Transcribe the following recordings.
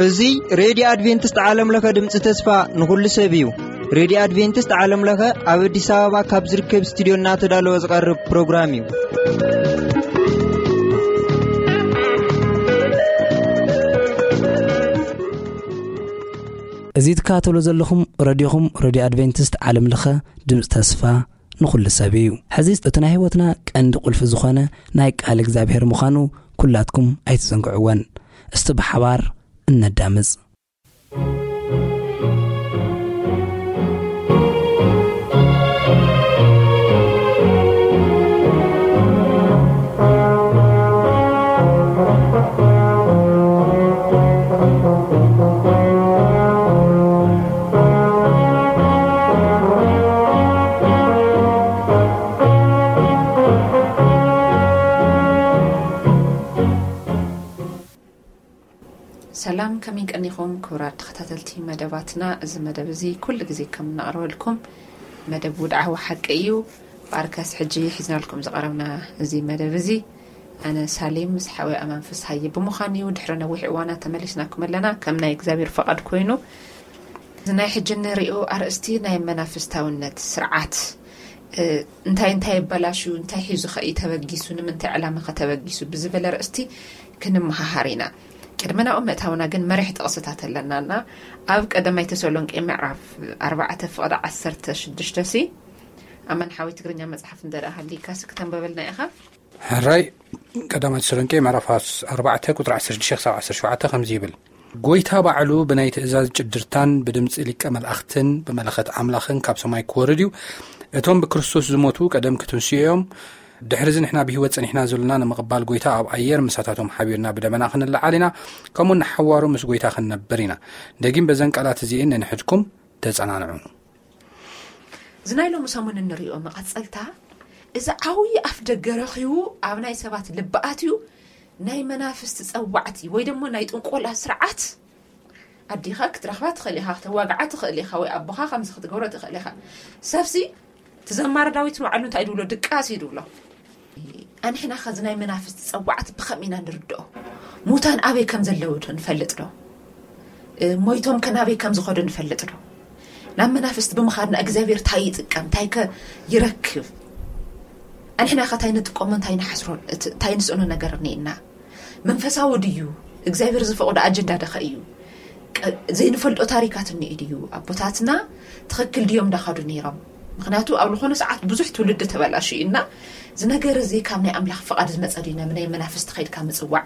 እዚ ሬድዮ ኣድቬንቲስት ዓለም ለኸ ድምፂ ተስፋ ንኹሉ ሰብ እዩ። ሬድዮ ኣድቬንቲስት ዓለም ለኸ ኣብ ኣዲስ ኣበባ ካብ ዝርከብ ስቱዲዮ እናተዳለወ ዝቐርብ ፕሮግራም እዩ። እዚ ትከታተሉ ዘለኹም ረድዮኹም፣ ረድዮ ኣድቬንቲስት ዓለም ለኸ ድምፂ ተስፋ ንኹሉ ሰብ እዩ። ሕዚ እቲ ናይ ህይወትና ቀንዲ ቁልፊ ዝኾነ ናይ ቃል እግዚኣብሔር ምዃኑ ኩላትኩም ኣይትዘንግዕወን። እስቲ ብሓባር እነዳምፅ። ሰላም፣ ከመይ ቀኒኹም ክቡራት ተኸታተልቲ መደባትና? እዚ መደብ እዚ ኩሉ ግዜ ከም እናቕርበልኩም መደብ ውድዓዊ ሓቂ እዩ። ብኣርከስ ሕጂ ሒዝናልኩም ዝቐረብና እዚ መደብ እዚ ኣነ ሳሌም ምስ ሓወይ ኣማን ፍስሃየ ብምዃን እዩ። ድሕሪ ነዊሕ እዋናት ተመሊስናኩም ኣለና። ከም ናይ እግዚኣብሔር ፈቓድ ኮይኑ፣ እዚ ናይ ሕጂ እንሪኦ ኣርእስቲ ናይ መናፍስታውነት ስርዓት፣ እ፣ እንታይ እንታይ ይበላሹ፣ እንታይ ሒዙ ኸ እዩ ተበጊሱ፣ ንምንታይ ዕላማ ኸ ተበጊሱ ብዝብል ኣርእስቲ ክንመሃሃር ኢና። ቅድሚ ናብኡ ምእታውና ግን መሪሕ ጥቕስታት ኣለናና። ኣብ ቀዳማይ ተሰሎንቄ ምዕራፍ ኣርባዕተ ፍቕዲ ዓሰርተ ሽዱሽተ ሲ፣ ኣማን ሓወይ ትግርኛ መጽሓፍ እንተ ደኣ ሃሊካስ ክተንበበልና ኢኻ? ሕራይ፣ ቀዳማይ ተሰሎንቄ ምዕራፍ ኣርባዕተ ቁጽሪ ዓሰርተ ሽዱሽተ ክሳብ ዓሰርተ ሸውዓተ ከምዚ ይብል፣ "ጎይታ ባዕሉ ብናይ ትእዛዝ ጭድርታን ብድምጺ ሊቀ መላእኽትን ብመለኸት ኣምላኽን ካብ ሰማይ ክወርድ እዩ። እቶም ብክርስቶስ ዝሞቱ ቀደም ክትንስኡ እዮም። ድሕርዚ ንሕና ብህይወት ጸኒሕና ዘሎና ንምቕባል ጎይታ ኣብ ኣየር ምሳታቶም ሓቢርና ብደመና ክንለዓል ኢና። ከምኡ ንሓዋሩ ምስ ጎይታ ክንነብር ኢና። ደጊም በዘን ቃላት እዚኤን ነንሕድኩም ተጸናንዑ።" እዚ ናይ ሎሚ ሰሙን እንሪኦ መቐጸልታ፣ እዚ ዓብዪ ኣፍ ደገ ረኺቡ ኣብ ናይ ሰባት ልቢ ኣትዩ፣ ናይ መናፍስቲ ጸዋዕቲ ወይ ደሞ ናይ ጥንቆላ ስርዓት፣ ኣዴኻ ክትረኽባ ትኽእል ኢኻ፣ ክተዋግዓ ትኽእል ኢኻ፣ ወይ ኣቦኻ ከምዚ ክትገብሮ ትኽእል ኢኻ። ሰብሲ፣ እቲ ዘማሪ ዳዊት ንባዕሉ እንታይ ድብሎ? ድቃስ እዩ ድብሎ። ኣንሕና ኸዚ ናይ መናፍስቲ ጸዋዕቲ ብኸም ኢና ንርድኦ? ሙታን ኣበይ ከም ዘለዉ ዶ ንፈልጥ ዶ? እ፣ ሞይቶም ከ ናበይ ከም ዝኸዱ ንፈልጥ ዶ? ናብ መናፍስቲ ብምኻድና እግዚኣብሔር እንታይ ይጥቀም? እንታይ ከ ይረክብ? ኣንሕና ኸ እንታይ ንጥቀሞ፣ እንታይ ንሓስሮ፣ እቲ፣ እንታይ ንስእኖ ነገር እኒኤና? መንፈሳዊ ድዩ? እግዚኣብሔር ዝፈቕዶ ኣጀንዳ ደኸ እዩ? ቀ-፣ ዘይንፈልጦ ታሪካት እኒኤ ድዩ? ኣቦታትና ትኽክል ድዮም እንዳኸዱ ነይሮም? ምኽንያቱ ኣብ ዝኾነ ሰዓት ብዙሕ ትውልዲ ተበላሹ እዩ እና፣ እዚ ነገር እዚ ካብ ናይ ኣምላኽ ፍቓድ ዝመጸ ድዩ? ናብ ናይ መናፍስቲ ኸይድካ ምጽዋዕ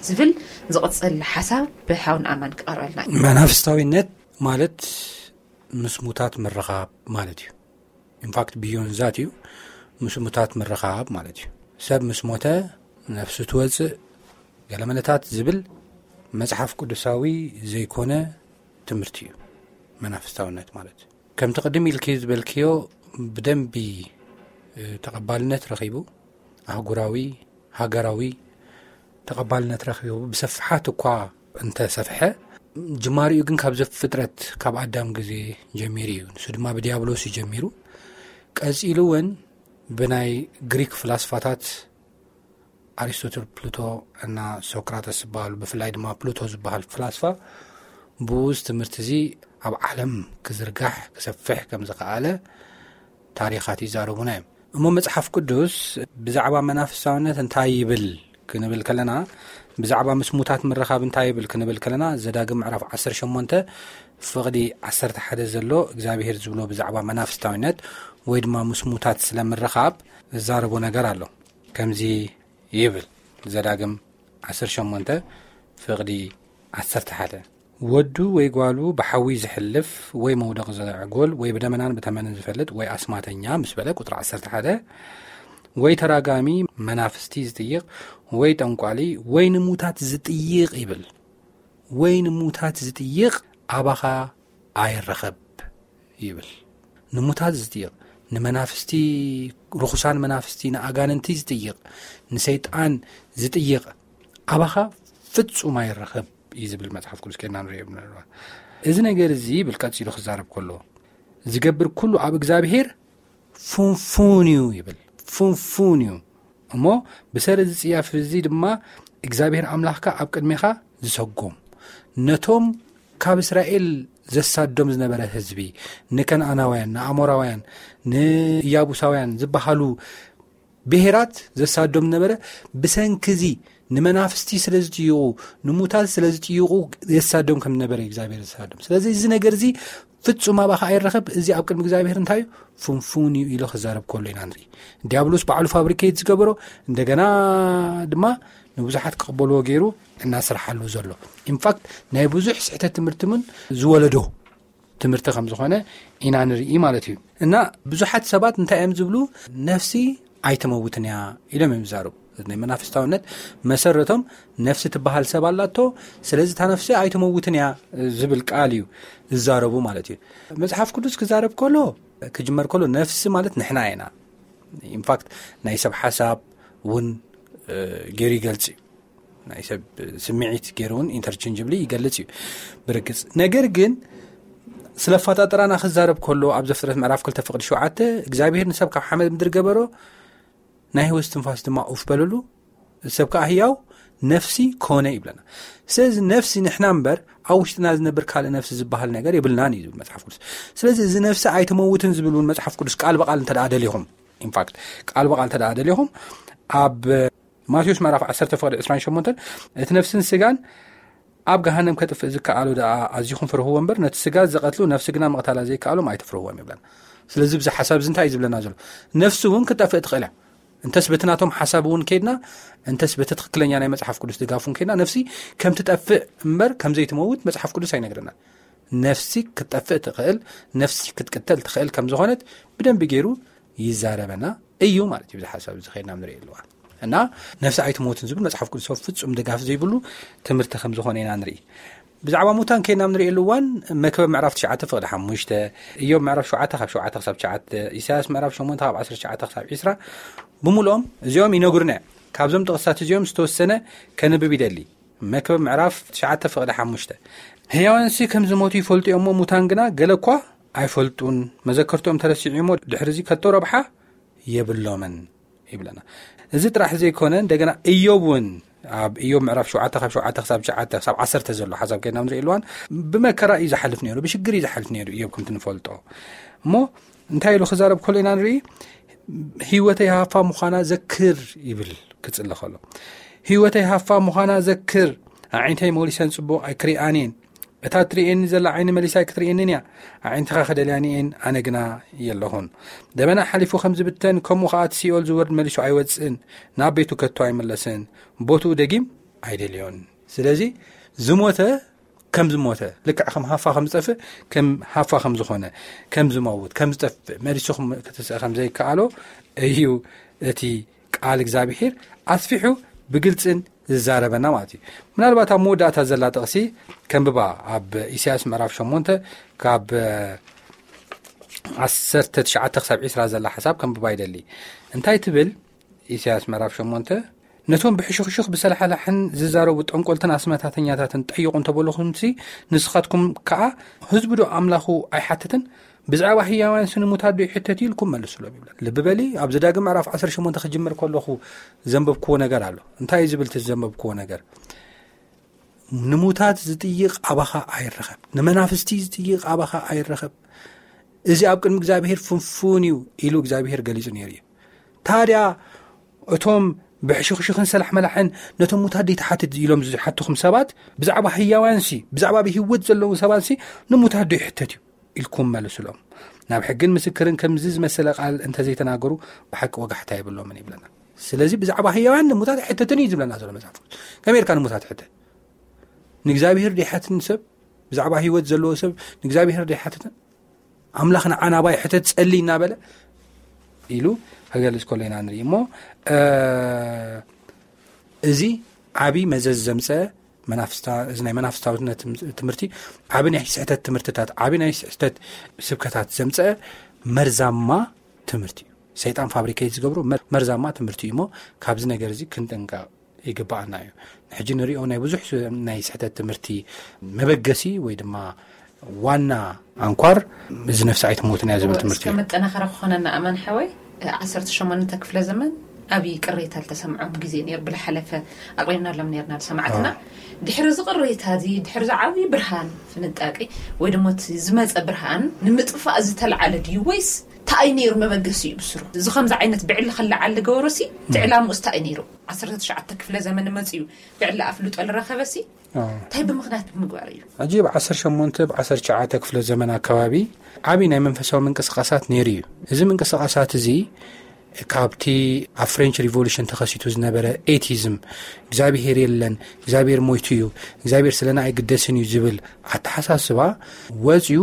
ዝብል ዝቕጽል ሓሳብ ብሓውን ኣማን ክቐርበልና እዩ። መናፍስታዊነት ማለት ምስ ሙታት ምርኻብ ማለት እዩ። ኢንፋክት፣ ብዮን ዛት እዩ፣ ምስ ሙታት ምርኻብ ማለት እዩ። ሰብ ምስ ሞተ ነፍሱ ትወጽእ፣ ገለ መለታት ዝብል መጽሓፍ ቅዱሳዊ ዘይኮነ ትምህርቲ እዩ መናፍስታውነት ማለት። ከምቲ ቅድም ኢልኪ ዝበልክዮ፣ ብደንቢ፣ እ፣ ተቐባልነት ረኺቡ፣ ኣህጉራዊ፣ ሃገራዊ ተቐባልነት ረኺቡ፣ ብሰፍሓት እኳ እንተሰፍሐ፣ ጅማሪኡ ግን ካብ ዘፍጥረት፣ ካብ ኣዳም ግዜ ጀሚሩ እዩ። ንሱ ድማ ብዲያብሎስ እዩ ጀሚሩ። ቀጺሉ እውን ብናይ ግሪክ ፍላስፋታት፣ ኣሪስቶትል፣ ፕሉቶ እና ሶክራተስ ዝበሃሉ፣ ብፍላይ ድማ ፕሉቶ ዝበሃል ፍላስፋ፣ ብኡዝ ትምህርቲ እዚ ኣብ ዓለም ክዝርጋሕ፣ ክሰፍሕ ከም ዝኸኣለ ታሪኻት ይዛረቡና እዮም። እሞ መጽሓፍ ቅዱስ ብዛዕባ መናፍስታውነት እንታይ ይብል ክንብል ከለና፣ ብዛዕባ ምስ ሙታት ምርኻብ እንታይ ይብል ክንብል ከለና፣ ዘዳግም ምዕራፍ ዓሰርተ ሸሞንተ ፍቕዲ ዓሰርተ ሓደ ዘሎ እግዚኣብሄር ዝብሎ ብዛዕባ መናፍስታውነት ወይ ድማ ምስ ሙታት ስለ ምርኻብ ዝዛረቦ ነገር ኣሎ። ከምዚ ይብል፣ ዘዳግም ዓሰርተ ሸሞንተ ፍቕዲ ዓሰርተ ሓደ፣ "ወዱ ወይ ጓሉ ብሓዊ ዝሕልፍ ወይ መውደቕ ዘዕጎል ወይ ብደመናን ብተመንን ዝፈልጥ ወይ ኣስማተኛ" ምስ በለ፣ ቁጽሪ ዓሰርተ ሓደ፣ "ወይ ተራጋሚ መናፍስቲ ዝጥይቕ ወይ ጠንቋሊ ወይ ንሙታት ዝጥይቕ" ይብል። "ወይ ንሙታት ዝጥይቕ ኣባኻ ኣይረኸብ" ይብል። ንሙታት ዝጥይቕ፣ ንመናፍስቲ፣ ርኹሳን መናፍስቲ፣ ንኣጋንንቲ ዝጥይቕ፣ ንሰይጣን ዝጥይቕ ኣባኻ ፍጹም ኣይረኸብ እዩ ዝብል መጽሓፍ ቅዱስ። ከና ንሪኦ ብንረባ፣ እዚ ነገር እዚ ይብል ቀጺሉ ክዛረብ ከሎ፣ "ዝገብር ኩሉ ኣብ እግዚኣብሄር ፍንፉን እዩ ይብል። ፍንፉን እዩ። እሞ ብሰሪ እዚ ጽያፍ እዚ ድማ እግዚኣብሔር ኣምላኽካ ኣብ ቅድሜኻ ዝሰጎም፣ ነቶም ካብ እስራኤል ዘሳዶም ዝነበረ ህዝቢ፣ ንከነኣናውያን፣ ንኣሞራውያን፣ ንኢያቡሳውያን ዝበሃሉ ብሄራት ዘሳዶም ዝነበረ፣ ብሰንኪ እዚ ንመናፍስቲ ስለ ዝጥይቑ፣ ንሙታት ስለ ዝጥይቑ የሳዶም ከም ዝነበረ እግዚኣብሔር ዘሳዶም። ስለዚ እዚ ነገር እዚ ፍጹም ኣባኻ ኣይረኸብ። እዚ ኣብ ቅድሚ እግዚኣብሔር እንታይ እዩ? ፍንፉን እዩ ኢሎ ክዛረብ ከሎ ኢና ንርኢ። ዲያብሎስ ባዕሉ ፋብሪኬት ዝገበሮ፣ እንደገና ድማ ንብዙሓት ክቕበልዎ ገይሩ እናሰርሓሉ ዘሎ። ኢንፋክት ናይ ብዙሕ ስሕተት ትምህርቲ እውን ዝወለዶ ትምህርቲ ከም ዝኾነ ኢና ንርኢ ማለት እዩ። እና ብዙሓት ሰባት እንታይ እዮም ዝብሉ? ነፍሲ ኣይትመውትን እያ ኢሎም እዮም ዝዛረቡ። ናይ መናፍስታውነት መሰረቶም ነፍሲ ትበሃል ሰብ ኣላቶ፣ ስለዚ እታ ነፍሲ ኣይትመውትን እያ ዝብል ቃል እዩ ዝዛረቡ ማለት እዩ። መጽሓፍ ቅዱስ ክዛረብ ከሎ፣ ክጅመር ከሎ ነፍሲ ማለት ንሕና ኢና። ኢንፋክት ናይ ሰብ ሓሳብ እውን፣ እ፣ ገይሩ ይገልጽ እዩ። ናይ ሰብ ስምዒት ገይሩ እውን ኢንተርቼንጅብሊ ይገልጽ እዩ ብርግጽ። ነገር ግን ስለ ኣፈጣጥራና ክዛረብ ከሎ፣ ኣብ ዘፍጥረት ምዕራፍ ክልተ ፍቕዲ ሸውዓተ፣ እግዚኣብሔር ንሰብ ካብ ሓመድ ምድሪ ገበሮ፣ ናይ ህይወት ትንፋስ ድማ ኡፍ በለሉ፣ ሰብ ከኣ ህያው ነፍሲ ኮነ ይብለና። ስለዚ ነፍሲ ንሕና እምበር ኣብ ውሽጥና ዝነብር ካልእ ነፍሲ ዝበሃል ነገር የብልናን እዩ ዝብል መጽሓፍ ቅዱስ። ስለዚ እዚ ነፍሲ ኣይትመውትን ዝብል እውን መጽሓፍ ቅዱስ ቃል ብቃል እንተ ደኣ ደሊኹም፣ ኢንፋክት ቃል ብቃል እንተ ደኣ ደሊኹም፣ ኣብ ማቴዎስ ምዕራፍ ዓሰርተ ፍቕዲ ዕስራን ሸሞንተን፣ እቲ ነፍስን ስጋን ኣብ ገሃነም ከጥፍእ ዝከኣሎ ደኣ ኣዚኹም ፍርህዎ እምበር፣ ነቲ ስጋ ዝቐትሉ ነፍሲ ግና ምቕታላ ዘይከኣሎም ኣይትፍርህዎም ይብለና። ስለዚ ብዚ ሓሳብ እዚ እንታይ እዩ ዝብለና ዘሎ? ነፍሲ እውን ክትጠፍእ ትኽእል እያ። እንተስ በቲ ናቶም ሓሳብ እውን ከይድና፣ እንተስ በቲ ትኽክለኛ ናይ መጽሓፍ ቅዱስ ድጋፍ እውን ከይድና፣ ነፍሲ ከም ትጠፍእ እምበር ከም ዘይትመውት መጽሓፍ ቅዱስ ኣይነግረናን። ነፍሲ ክትጠፍእ ትኽእል፣ ነፍሲ ክትቅተል ትኽእል ከም ዝኾነት ብደንቢ ገይሩ ይዛረበና እዩ ማለት እዩ። ብዚ ሓሳብ እዚ ከይድና ንርእየሉ እዋን እና ነፍሲ ኣይትሞትን ዝብል መጽሓፍ ቅዱስ ፍጹም ድጋፍ ዘይብሉ ትምህርቲ ከም ዝኾነ ኢና ንርኢ። ብዛዕባ ሙታን ከይድና ንርእየሉ እዋን፣ መክብብ ምዕራፍ ትሽዓተ ፍቕዲ ሓሙሽተ፣ ኢዮብ ምዕራፍ ሸውዓተ ካብ ሸውዓተ ክሳብ ትሽዓተ፣ ኢሳያስ ምዕራፍ ሸሞንተ ካብ ዓሰርተ ትሽዓተ ክሳብ ዒስራ፣ ብምልኦም እዚኦም ይነግሩና እዮም። ካብዞም ጥቕስታት እዚኦም ዝተወሰነ ከንብብ ይደሊ። መክብብ ምዕራፍ ትሽዓተ ፍቕዲ ሓሙሽተ፣ ህያዋንሲ ከም ዝሞቱ ይፈልጡ እዮም እሞ፣ ሙታን ግና ገለ እኳ ኣይፈልጡን። መዘከርትኦም ተረሲዑ እሞ፣ ድሕሪ እዚ ከቶ ረብሓ የብሎምን ይብለና። እዚ ጥራሕ ዘይኮነ፣ እንደገና ኢዮብ እውን ኣብ ኢዮብ ምዕራፍ ሸውዓተ ካብ ሸውዓተ ክሳብ ትሽዓተ ክሳብ ዓሰርተ ዘሎ ሓሳብ ከይድና ንርኢ ኣለዋን፣ ብመከራ እዩ ዝሓልፍ ነይሩ፣ ብሽግር እዩ ዝሓልፍ ነይሩ ኢዮብ ከምቲ ንፈልጦ። እሞ እንታይ ኢሉ ክዛረብ ከሎ ኢና ንርኢ? ህይወተይ ሃፋ ምዃና ዘክር ይብል ክጽሊ ከሎ። ህይወተይ ሃፋ ምዃና ዘክር፣ ኣዒንተይ መሊሰን ጽቡቕ ኣይክሪኣን እየን። እታ ትርእየኒ ዘላ ዓይኒ መሊሳ ኣይክትርእየንን እያ። ኣዒንትኻ ክደልያን እየን፣ ኣነ ግና የለኹን። ደበና ሓሊፉ ከም ዝብተን፣ ከምኡ ኸኣ እቲ ሲኦል ዝወርድ መሊሱ ኣይወጽእን፣ ናብ ቤቱ ከቶ ኣይምለስን፣ ቦትኡ ደጊም ኣይደልዮን። ስለዚ ዝሞተ ከም ዝሞተ፣ ልክዕ ከም ሃፋ ከም ዝጠፍእ፣ ከም ሃፋ ከም ዝኾነ፣ ከም ዝመውት፣ ከም ዝጠፍእ፣ መሊሱ ከም፣ ክትስእ ከም ዘይከኣሎ እዩ እቲ ቃል እግዚኣብሔር ኣስፊሑ ብግልጽን ዝዛረበና ማለት እዩ። ምናልባት ኣብ መወዳእታ ዘላ ጥቕሲ ከንብባ፣ ኣብ ኢሳያስ ምዕራፍ ሸሞንተ ካብ ዓሰርተ ትሽዓተ ክሳብ ዒስራ ዘላ ሓሳብ ከንብባ ይደሊ። እንታይ ትብል? ኢሳያስ ምዕራፍ ሸሞንተ፣ ነቶም ብሕሹኽሹኽ ብሰላሕላሕን ዝዛረቡ ጠንቆልትን ኣስመታተኛታትን ጠይቑ እንተበልኹምሲ፣ ንስኻትኩም ከኣ፣ ህዝቢ ዶ ኣምላኹ ኣይሓትትን? ብዛዕባ ህያዋን ስንሙታት ዶ ይሕተት ኢልኩም መልሱሎም ይብለን። ልቢ በሊ፣ ኣብ ዘዳግም ምዕራፍ ዓሰርተ ሸሞንተ ክጅምር ከለኹ ዘንበብክዎ ነገር ኣሎ። እንታይ እዩ ዝብል እቲ ዘንበብክዎ ነገር? ንሙታት ዝጥይቕ ኣባኻ ኣይረኸብ፣ ንመናፍስቲ ዝጥይቕ ኣባኻ ኣይረኸብ፣ እዚ ኣብ ቅድሚ እግዚኣብሔር ፍንፉን እዩ ኢሉ እግዚኣብሔር ገሊጹ ነይሩ እዩ። ታድያ እቶም ብሕሽኽሽኽን ሰላሕ መላሕን ነቶም ሙታት ደይትሓትት ኢሎም ዝሓትኹም ሰባት፣ ብዛዕባ ህያዋንሲ፣ ብዛዕባ ብህይወት ዘለዉ ሰባትሲ ንሙታት ዶ ይሕተት እዩ ኢልኩም መልሱሎም። ናብ ሕግን ምስክርን ከምዚ ዝመሰለ ቃል እንተዘይተናገሩ ብሓቂ ወጋሕታ የብሎምን ይብለና። ስለዚ ብዛዕባ ህያዋን ንሙታት ኣይሕተትን እዩ ዝብለና ዘሎ መጽሓፍ ቅዱስ። ከመይ ኢልካ ንሙታት ሕተት? ንእግዚኣብሔር ደይሓትን ሰብ፣ ብዛዕባ ህይወት ዘለዎ ሰብ ንእግዚኣብሔር ደይሓትትን? ኣምላኽ ንዓና ባ ይሕተት ጸሊ እናበለ ኢሉ ክገልጽ ከሎ ኢና ንርኢ እሞ፣ እ፣ እዚ ዓቢ መዘዝ ዘምጸ መናፍስታ-፣ እዚ ናይ መናፍስታውነት ትም-፣ ትምህርቲ ዓቢ ናይ ስሕተት ትምህርትታት፣ ዓቢ ናይ ስሕተት ስብከታት ዘምጸ መርዛማ ትምህርቲ እዩ። ሰይጣን ፋብሪኬት ዝገብሮ መር-፣ መርዛማ ትምህርቲ እዩ እሞ ካብዚ ነገር እዚ ክንጥንቀቕ ይግባኣና እዩ። ሕጂ ንሪኦ ናይ ብዙሕ ስ-፣ ናይ ስሕተት ትምህርቲ መበገሲ ወይ ድማ ዋና ኣንኳር እዚ ነፍሲ ኣይትሞትን እያ ዝብል ትምህርቲ እዩ። መጠናኸሪ ክኾነና ኣማን ሓወይ፣ ዓሰርተ ሸሞንተ ክፍለ ዘመን ዓብዪ ቅሬታ ዝተሰምዖም ግዜ ነይሩ። ብዝሓለፈ ኣቕሪብናሎም ነርና ሰማዕትና። ድሕሪ እዚ ቅሬታ እዚ፣ ድሕሪ እዚ ዓብዪ ብርሃን ፍንጣቂ ወይ ድማ እቲ ዝመፀ ብርሃን ንምጥፋእ ዝተለዓለ ድዩ ወይስ እንታይ ነይሩ መበገሲኡ ብስሩ? እዚ ከምዚ ዓይነት ብዕሊ ከለዓል ዝገበሮሲ እቲ ዕላምኡስ እንታይ ነይሩ? ዓሰርተ ትሽዓተ ክፍለ ዘመን መፅዩ ብዕሊ ኣፍልጦ ዝረኸበሲ እንታይ ብምኽንያት ብምግባር እዩ? ሕጂ ብ ዓሰርተ ሸሞንተ ብ ዓሰርተ ትሽዓተ ክፍለ ዘመን ኣከባቢ ዓብዪ ናይ መንፈሳዊ ምንቅስቃሳት ነይሩ እዩ። እዚ ምንቅስቃሳት እዚ ካብቲ ኣብ ፍሬንች ሪቮሉሽን ተኸሲቱ ዝነበረ ኤቲዝም፣ እግዚኣብሄር የለን፣ እግዚኣብሄር ሞይቱ እዩ፣ እግዚኣብሄር ስለና ኣይግደስን እዩ ዝብል ኣተሓሳስባ ወፅዩ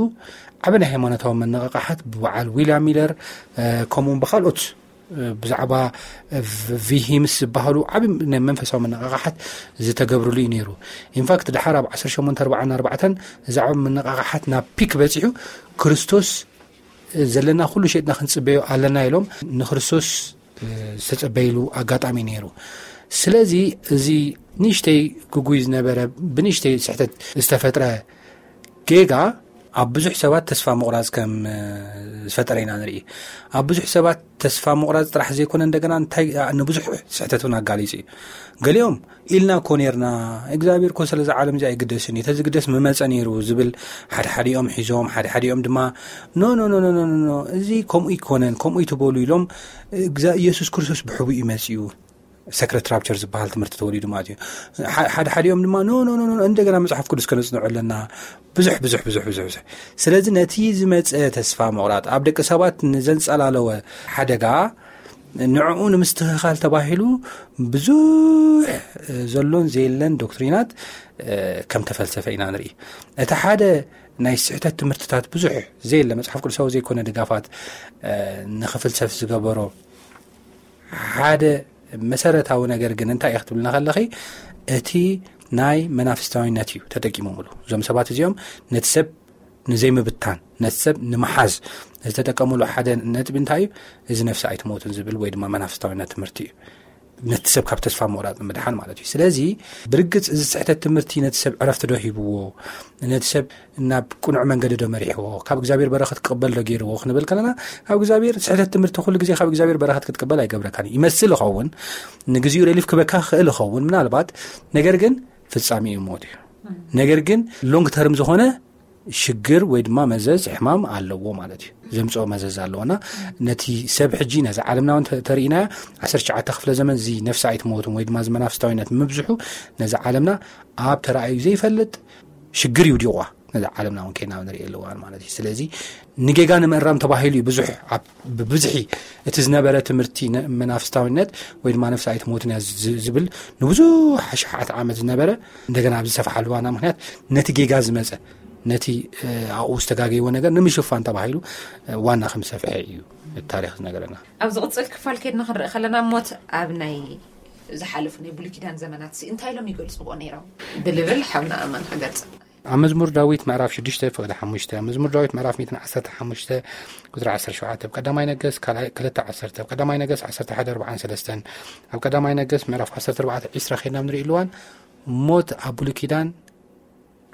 ዓቢ ናይ ሃይማኖታዊ መነቃቃሓት ብበዓል ዊልያም ሚለር ከምኡውን ብካልኦት ብዛዕባ ቪሂምስ ዝበሃሉ ዓብ መንፈሳዊ መነቃቃሓት ዝተገብርሉ እዩ ነይሩ። ኢንፋክት ድሓር ኣብ ዓሰርተ ሸሞንተ ኣርባዓን ኣርባዕተን እዚ ዓብ መነቃቃሓት ናብ ፒክ በፂሑ ክርስቶስ ዘለና ኩሉ ሸጥና ክንፅበዮ ኣለና ኢሎም ንክርስቶስ ዝተፀበይሉ ኣጋጣሚ ነይሩ። ስለዚ እዚ ንእሽተይ ግጉይ ዝነበረ ብንእሽተይ ስሕተት ዝተፈጥረ ጌጋ ኣብ ብዙሕ ሰባት ተስፋ ምቑራፅ ከም ዝፈጠረ ኢና ንርኢ። ኣብ ብዙሕ ሰባት ተስፋ ምቑራፅ ጥራሕ ዘይኮነ እንደገና እንታይ ንብዙሕ ስሕተት እውን ኣጋሊፁ እዩ። ገሊኦም ኢልና እኮ ነርና እግዚኣብሔር እኮ ስለዚ ዓለም እዚ ኣይግደስን እዩ ተዝግደስ ምመፀ ነይሩ ዝብል ሓድሓዲኦም ሒዞም ሓድሓዲኦም ድማ ኖ ኖ ኖ እዚ ከምኡ ይኮነን ከምኡ ይትበሉ ኢሎም ኢየሱስ ክርስቶስ ብሕቡ እዩ መፅኡ ሰክረት ራፕቸር ዝበሃል ትምህርቲ ተወሊዱ ማለት እዩ። ሓደ ሓዲኦም ድማ ኖ ኖ ኖ እንደገና መፅሓፍ ቅዱስ ከነፅንዑ ኣለና። ብዙሕ ብዙሕ ብዙሕ ብዙሕ ብዙሕ ስለዚ ነቲ ዝመፀ ተስፋ ምቑራጥ ኣብ ደቂ ሰባት ንዘንፀላለወ ሓደጋ ንዕኡ ንምስትኽኻል ተባሂሉ ብዙሕ ዘሎን ዘየለን ዶክትሪናት ከም ተፈልሰፈ ኢና ንርኢ። እቲ ሓደ ናይ ስሕተት ትምህርትታት ብዙሕ ዘየለ መፅሓፍ ቅዱሳዊ ዘይኮነ ድጋፋት ንኽፍልሰፍ ዝገበሮ ሓደ መሰረታዊ ነገር ግን እንታይ እዩ ክትብልና ከለኺ እቲ ናይ መናፍስታዊነት እዩ ተጠቂሞምሉ። እዞም ሰባት እዚኦም ነቲ ሰብ ንዘይምብታን ነቲ ሰብ ንምሓዝ ዝተጠቀምሉ ሓደ ነጥቢ እንታይ እዩ? እዚ ነፍሲ ኣይትሞትን ዝብል ወይ ድማ መናፍስታዊነት ትምህርቲ እዩ። ነቲ ሰብ ካብ ተስፋ ምቑራፅ ንምድሓን ማለት እዩ። ስለዚ ብርግፅ እዚ ስሕተት ትምህርቲ ነቲ ሰብ ዕረፍቲ ዶ ሂብዎ? ነቲ ሰብ ናብ ቅኑዕ መንገዲ ዶ መሪሕዎ? ካብ እግዚኣብሔር በረኸት ክቕበል ዶ ገይርዎ ክንብል ከለና ካብ እግዚኣብሔር ስሕተት ትምህርቲ ኩሉ ግዜ ካብ እግዚኣብሔር በረኸት ክትቅበል ኣይገብረካን እዩ። ይመስል ይኸውን ንግዚኡ ሪሊፍ ክበካ ክእል ይኸውን ምናልባት ነገር ግን ፍጻሜ እዩ ሞት እዩ። ነገር ግን ሎንግ ተርም ዝኾነ ሽግር ወይ ድማ መዘዝ ሕማም ኣለዎ ማለት እዩ። ዘምፅኦ መዘዝ ኣለዎና ነቲ ሰብ ሕጂ ነዚ ዓለምና እውን ተርእናዮ ዓሰርተ ትሽዓተ ክፍለ ዘመን እዚ ነፍሲ ኣይትመወቱን ወይ ድማ እዚ መናፍስታዊነት ምብዝሑ ነዚ ዓለምና ኣብ ተረኣዩ ዘይፈልጥ ሽግር ይውዲቑዋ። ነዚ ዓለምና እውን ከይና ንርኢ ኣለዋን ማለት እዩ። ስለዚ ንጌጋ ንምእራም ተባሂሉ እዩ ብዙሕ ብብዝሒ እቲ ዝነበረ ትምህርቲ መናፍስታዊነት ወይ ድማ ነፍሲ ኣይትመወትን እያ ዝብል ንብዙሕ ኣሽሓት ዓመት ዝነበረ እንደገና ኣብ ዝሰፍሓሉ ዋና ምክንያት ነቲ ጌጋ ዝመፀ ነቲ ኣብኡ ዝተጋገይዎ ነገር ንምሽፋን ተባሂሉ ዋና ከም ዝሰፍሐ እዩ ታሪክ ዝነገረና። ኣብ ዝቕፅል ክፋል ከድና ክንርኢ ከለና ሞት ኣብ ናይ ዝሓለፉ ናይ ብሉይ ኪዳን ዘመናት ሲ እንታይ ኢሎም ይገልፅዎ ነይሮም ብልብል ሓውና ኣማን ክገልፅ ኣብ መዝሙር ዳዊት ምዕራፍ ሽዱሽተ ፍቕዲ ሓሙሽተ ኣብ መዝሙር ዳዊት ምዕራፍ ሚእትን ዓሰርተ ሓሙሽተ ቁፅሪ ዓሰርተ ሸውዓተ ኣብ ቀዳማይ ነገስ ካልኣይ ክልተ ዓሰርተ ኣብ ቀዳማይ ነገስ ዓሰርተ ሓደ ኣርባዓን ሰለስተን ኣብ ቀዳማይ ነገስ ምዕራፍ ዓሰርተ ኣርባዕተ ዒስራ ከይድና ንርኢ ኣለዋን ሞት ኣብ ብሉይ ኪዳን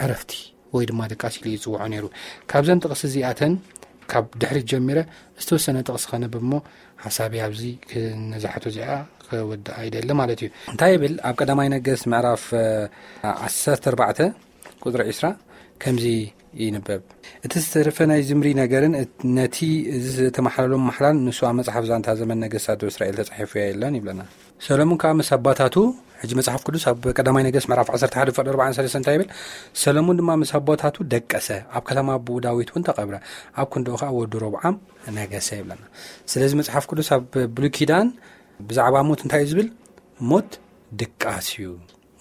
ዕረፍቲ ወይ ድማ ድቃስ ኢሉ ይፅውዖ ነይሩ። ካብዘን ጥቕሲ እዚኣተን ካብ ድሕሪት ጀሚረ ዝተወሰነ ጥቕሲ ከነብብ እሞ ሓሳቢ ኣብዚ ነዛሕቶ እዚኣ ክወድኣ ይደሊ ማለት እዩ። እንታይ ይብል ኣብ ቀዳማይ ነገስ ምዕራፍ ዓሰርተ ኣርባዕተ ቁፅሪ ዒስራ ከምዚ ይንበብ። እቲ ዝተረፈ ናይ ዝምሪ ነገርን ነቲ እዚ ዝተመሓለሎም ማሕላን ንሱ ኣብ መጽሓፍ ዛንታ ዘመን ነገስታት እስራኤል ተጻሒፉ የለን ይብለና። ሰሎሞን ከኣ ምስ ኣባታቱ ሕጂ መጽሓፍ ቅዱስ ኣብ ቀዳማይ ነገስ ምዕራፍ ዓሰርተ ሓደ ፍቕዲ ኣርባዓን ሰለስተን እንታይ ይብል? ሰሎሞን ድማ ምስ ኣቦታቱ ደቀሰ፣ ኣብ ከተማ ኣቦኡ ዳዊት እውን ተቐብረ፣ ኣብ ክንድኡ ከኣ ወዱ ሮብዓም ነገሰ ይብለና። ስለዚ መጽሓፍ ቅዱስ ኣብ ብሉይ ኪዳን ብዛዕባ ሞት እንታይ እዩ ዝብል? ሞት ድቃስ እዩ።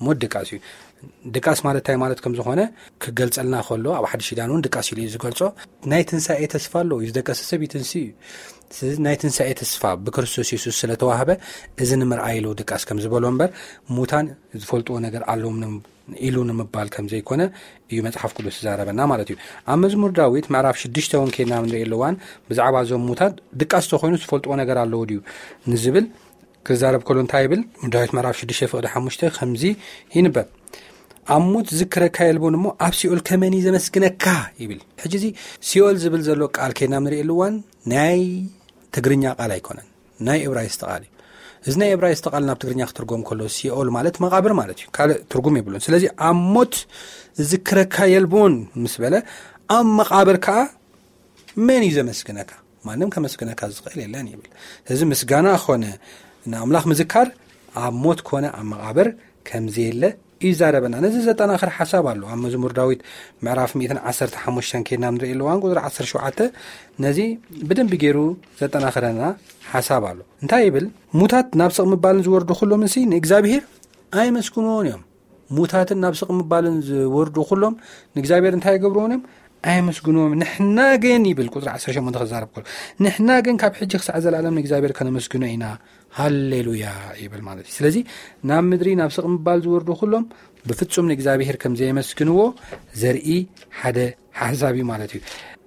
ሞት ድቃስ እዩ። ድቃስ ማለት እንታይ ማለት ከም ዝኾነ ክገልጸልና ከሎ ኣብ ሓድሽ ኪዳን እውን ድቃስ ኢሉ እዩ ዝገልጾ። ናይ ትንሳኤ ተስፋ ኣለዎ እዩ። ዝደቀሰ ሰብ ይትንስእ እዩ። ስለዚ ናይ ትንሳኤ ተስፋ ብክርስቶስ የሱስ ስለተዋህበ እዚ ንምርኣይ ኢሉ ድቃስ ከም ዝበሎ እምበር ሙታን ዝፈልጥዎ ነገር ኣለዎም ኢሉ ንምባል ከም ዘይኮነ እዩ መጽሓፍ ቅዱስ ዝዛረበና ማለት እዩ። ኣብ መዝሙር ዳዊት ምዕራፍ ሽዱሽተ እውን ከይድና ንርኢ ኣለዋን ብዛዕባ እዞም ሙታት ድቃስ ተኾይኑ ዝፈልጥዎ ነገር ኣለዎ ድዩ ንዝብል ክዛረብ ከሎ እንታይ ይብል? ዳዊት ምዕራፍ ሽዱሽተ ፍቕዲ ሓሙሽተ ከምዚ ይንበብ። ኣብ ሞት ዝክረካ የልቦን እሞ ኣብ ሲኦል ከመን እዩ ዘመስግነካ ይብል። ሕጂ እዚ ሲኦል ዝብል ዘሎ ቃል ከይና ንሪእሉ እዋን ናይ ትግርኛ ቃል ኣይኮነን፣ ናይ እብራይስጥ ቃል እዩ። እዚ ናይ እብራይስጥ ቃል ናብ ትግርኛ ክትርጎም ከሎ ሲኦል ማለት መቓብር ማለት እዩ፣ ካልእ ትርጉም የብሉን። ስለዚ ኣብ ሞት ዝክረካ የልቦን ምስ በለ ኣብ መቓብር ከዓ መን እዩ ዘመስግነካ? ማንም ከመስግነካ ዝኽእል የለን ይብል። እዚ ምስጋና ኾነ ንኣምላኽ ምዝካር ኣብ ሞት ኮነ ኣብ መቓብር ከም ዘየለ ይዛረበና። ነዚ ዘጠናኽር ሓሳብ ኣሎ ኣብ መዝሙር ዳዊት ምዕራፍ ሚእትን ዓሰርተ ሓሙሽተን ከይድና ንርኢ ኣለዋን ቁፅሪ ዓሰርተ ሸውዓተ ነዚ ብደንቢ ገይሩ ዘጠናኽረና ሓሳብ ኣሎ። እንታይ ይብል? ሙታት ናብ ስቕ ምባልን ዝወርዱ ኩሎምንሲ ንእግዚኣብሔር ኣይመስግንዎን እዮም። ሙታትን ናብ ስቕ ምባልን ዝወርዱ ኩሎም ንእግዚኣብሔር እንታይ ይገብርዎን እዮም? ኣይመስግንዎም። ንሕና ግን ይብል ቁፅሪ ዓሰርተ ሸሞንተ ክዛረብ ከሎ፣ ንሕና ግን ካብ ሕጂ ክሳዕ ዘላለም ንእግዚኣብሔር ከነመስግኖ ኢና፣ ሃሌሉያ ይብል ማለት እዩ። ስለዚ ናብ ምድሪ ናብ ስቕ ምባል ዝወርዱ ኩሎም ብፍጹም ንእግዚኣብሔር ከም ዘየመስግንዎ ዘርኢ ሓደ ሓሳብ እዩ ማለት እዩ።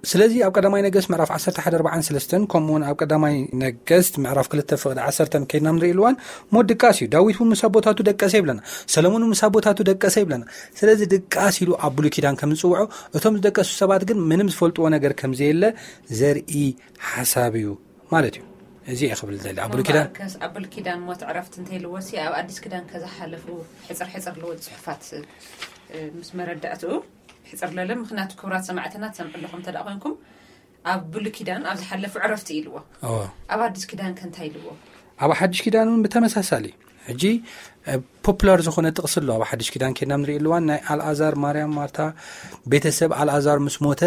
ስለዚ ኣብ ቀዳማይ ነገስት ምዕራፍ ዓሰርተ ሓደ ኣርባዓን ሰለስተን ከምኡ እውን ኣብ ቀዳማይ ነገስት ምዕራፍ ክልተ ፍቕዲ ዓሰርተን ከይድና ንርኢ ኣለዋን ሞት ድቃስ እዩ። ዳዊት እውን ምስ ኣቦታቱ ደቀሰ ይብለና፣ ሰለሞን እውን ምስ ኣቦታቱ ደቀሰ ይብለና። ስለዚ ድቃስ ኢሉ ኣብ ብሉይ ኪዳን ከም ዝፅውዖ፣ እቶም ዝደቀሱ ሰባት ግን ምንም ዝፈልጥዎ ነገር ከም ዘየለ ዘርኢ ሓሳብ እዩ ማለት እዩ። እዚ እየ ክብል ደሊ ኣብ ብሉይ ኪዳን። እምበኣርከስ ኣብ ብሉይ ኪዳን ሞት ዕረፍቲ እንተይልዎ ሲ ኣብ ኣዲስ ኪዳን ከዝሓለፉ ሕፅር ሕፅር ልወል ፅሑፋት እ፣ ምስ መረዳእትኡ ሕፅር ለለ። ምክንያቱ ክብራት ሰማዕትና ትሰምዑ ኣለኹም እንተ ደኣ ኮይንኩም ኣብ ብሉይ ኪዳን ኣብ ዝሓለፉ ዕረፍቲ ኢልዎ። እዎ። ኣብ ኣዲስ ኪዳን ከ እንታይ ኢልዎ? ኣብ ሓድሽ ኪዳን እውን ብተመሳሳሊ ሕጂ እ፣ ፖፑላር ዝኾነ ጥቕሲ ኣሎ ኣብ ሓድሽ ኪዳን ከይድና ንርኢ ኣለዋን ናይ ኣልኣዛር፣ ማርያም፣ ማርታ ቤተሰብ ኣልኣዛር ምስ ሞተ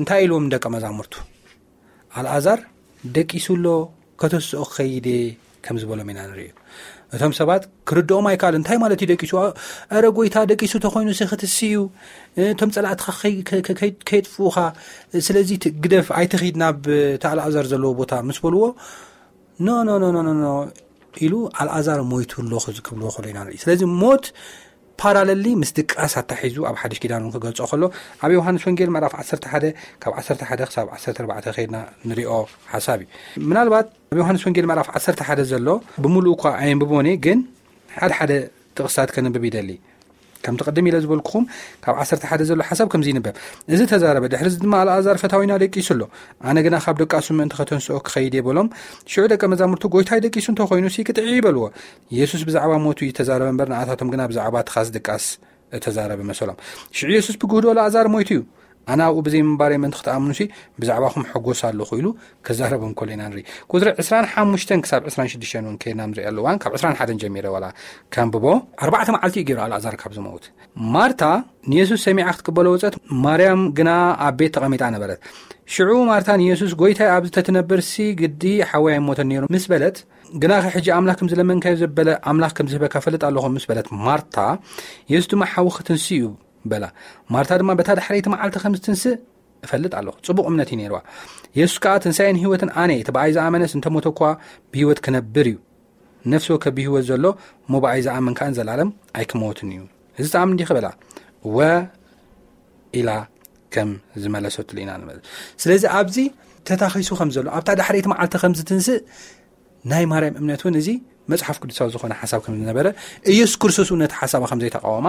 እንታይ ኢልዎም ደቀ መዛሙርቱ? ኣልኣዛር ደቂሱ ኣሎ፣ ከተስኦ ክኸይድ እየ ከም ዝበሎም ኢና ንርእዮ። እቶም ሰባት ክርድኦም ኣይከኣሉ። እንታይ ማለት እዩ ደቂሱ? ኧረ ጎይታ ደቂሱ ተኾይኑ ሲ ክትሲ እዩ፣ እቶም ጸላእትኻ ከይ- ከ- ከ- ከይ- ከየጥፍኡኻ፣ ስለዚ ት- ግደፍ፣ ኣይትኺድ ናብ እቲ ኣልኣዛር ዘለዎ ቦታ ምስ በልዎ፣ ኖ ኖ ኖ ኖ ኖ ኖ ኢሉ ኣልኣዛር ሞይቱ ኣሎ ክብልዎ ከሎ ኢና ንርኢ። ስለዚ ሞት ፓራለሊ ምስ ድቃስ ኣታሒዙ ኣብ ሓድሽ ኪዳን እውን ክገልጾ ከሎ ኣብ ዮሃንስ ወንጌል ምዕራፍ ዓሰርተ ሓደ ካብ ዓሰርተ ሓደ ክሳብ ዓሰርተ ኣርባዕተ ከይድና ንሪኦ ሓሳብ እዩ። ምናልባት ኣብ ዮሃንስ ወንጌል ምዕራፍ ዓሰርተ ሓደ ዘሎ ብምሉኡ እኳ ኣየንብቦን እየ፣ ግን ሓደ ሓደ ጥቕስታት ከንብብ ይደሊ። ከምቲ ቅድም ኢለ ዝበልኩኹም ካብ ዓሰርተ ሓደ ዘሎ ሓሳብ ከምዚ ይንበብ። እዚ ተዛረበ። ድሕሪ እዚ ድማ ኣልኣዛር ፈታዊና ደቂሱ ኣሎ፣ ኣነ ግና ካብ ደቃሱ ምእንቲ ከተንስኦ ክኸይድ እየ በሎም። ሽዑ ደቀ መዛሙርቱ ጎይታይ ደቂሱ እንተኾይኑ ሲ ቅጥዒ ይበልዎ። ኢየሱስ ብዛዕባ ሞቱ እዩ ተዛረበ እምበር ንኣታቶም ግና ብዛዕባ ትኻስ ድቃስ እተዛረበ መሰሎም። ሽዑ ኢየሱስ ብግህዶ ኣልኣዛር ሞይቱ እዩ፣ ኣነ ኣብኡ ብዘይ ምንባረይ ምእንቲ ክትኣምኑሲ ብዛዕባኹም ሕጎስ ኣለኹ ኢሉ ክዛረቦም ከሎ ኢና ንርኢ። ቁፅሪ ዕስራን ሓሙሽተን ክሳብ ዕስራን ሽዱሽተን እውን ከይድና ንርኢ ኣለዋን ካብ ዕስራን ሓደን ጀሚረ ዋላ ከንብቦ። ኣርባዕተ መዓልቲ እዩ ገይሩ ኣልኣዛር ካብ ዝመውት። ማርታ ንየሱስ ሰሚዓ ክትቅበሎ ወፀት፣ ማርያም ግና ኣብ ቤት ተቐሚጣ ነበረት። ሽዑ ማርታ ንየሱስ ጎይታይ ኣብዚ ተትነብርሲ ግዲ ሓወይ ኣይሞተን ነይሩ ምስ በለት፣ ግናኸ ሕጂ ኣምላኽ ከም ዝለመንካዮ ዘበለ ኣምላኽ ከም ዝህበካ ፈልጥ ኣለኹ ምስ በለት ማርታ፣ የሱስ ድማ ሓዊ ክትንስ እዩ በላ። ማርታ ድማ በታ ዳሕረይቲ መዓልቲ ከም ዝትንስእ እፈልጥ ኣለኹ፣ ጽቡቕ እምነት እዩ ነይርዋ። የሱስ ከኣ ትንሳኤን ህይወትን ኣነ እቲ ብኣይ ዝኣመነስ እንተሞተ እኳ ብህይወት ክነብር እዩ። ነፍሲ ወከፍ ብህይወት ዘሎ እሞ ብኣይ ዝኣምን ከኣ ንዘለኣለም ኣይክመወትን እዩ። እዚ ተኣምን ዲኺ በላ። እወ ኢላ ከም ዝመለሰትሉ ኢና ንመልስ። ስለዚ ኣብዚ ተታኺሱ ከም ዘሎ ኣብታ ዳሕረይቲ መዓልቲ ከም ዝትንስእ ናይ ማርያም እምነት እውን እዚ መጽሓፍ ቅዱሳዊ ዝኾነ ሓሳብ ከም ዝነበረ ኢየሱስ ክርስቶስ እውን ነቲ ሓሳባ ከም ዘይተቃወማ